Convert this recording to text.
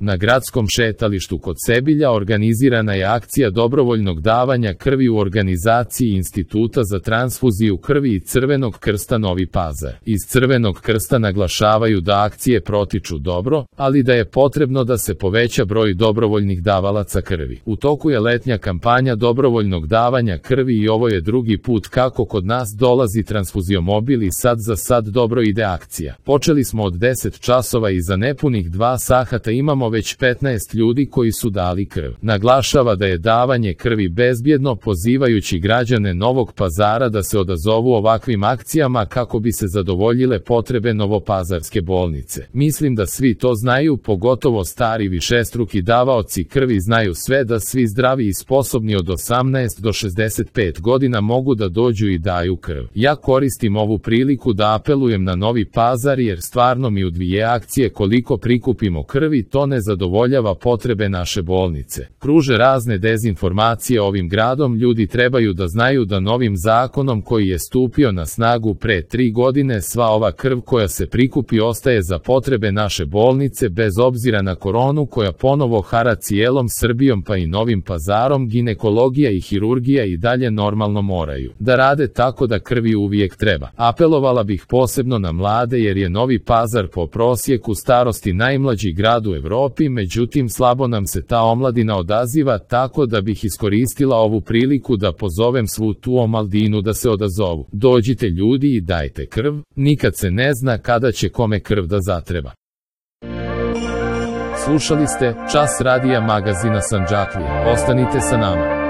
Na gradskom šetalištu kod Sebilja organizirana je akcija dobrovoljnog davanja krvi u organizaciji Instituta za transfuziju krvi i Crvenog krsta Novi Pazar. Iz Crvenog krsta naglašavaju da akcije protiču dobro, ali da je potrebno da se poveća broj dobrovoljnih davalaca krvi. U toku je letnja kampanja dobrovoljnog davanja krvi i ovo je drugi put kako kod nas dolazi transfuziomobil i sad za sad dobro ide akcija. Počeli smo od 10 časova i za nepunih 2 sata imamo već 15 ljudi koji su dali krv. Naglašava da je davanje krvi bezbjedno, pozivajući građane Novog Pazara da se odazovu ovakvim akcijama kako bi se zadovoljile potrebe novopazarske bolnice. Mislim da svi to znaju, pogotovo stari višestruki davaoci krvi znaju sve, da svi zdravi i sposobni od 18 do 65 godina mogu da dođu i daju krv. Ja koristim ovu priliku da apelujem na Novi Pazar jer stvarno mi u 2 akcije koliko prikupimo krvi to ne zadovoljava potrebe naše bolnice. Kruže razne dezinformacije ovim gradom, ljudi trebaju da znaju da novim zakonom koji je stupio na snagu pre 3 godine sva ova krv koja se prikupi ostaje za potrebe naše bolnice bez obzira na koronu koja ponovo hara cijelom Srbijom pa i Novim Pazarom. Ginekologija i hirurgija i dalje normalno moraju da rade, tako da krvi uvijek treba. Apelovala bih posebno na mlade jer je Novi Pazar po prosjeku starosti najmlađi grad u Evropi, međutim slabo nam se ta omladina odaziva, tako da bih iskoristila ovu priliku da pozovem svu tu omladinu da se odazovu. Dođite ljudi i dajte krv, nikad se ne zna kada će kome krv da zatreba. Slušali ste Čas radija magazina Sandžaklije. Ostanite sa nama.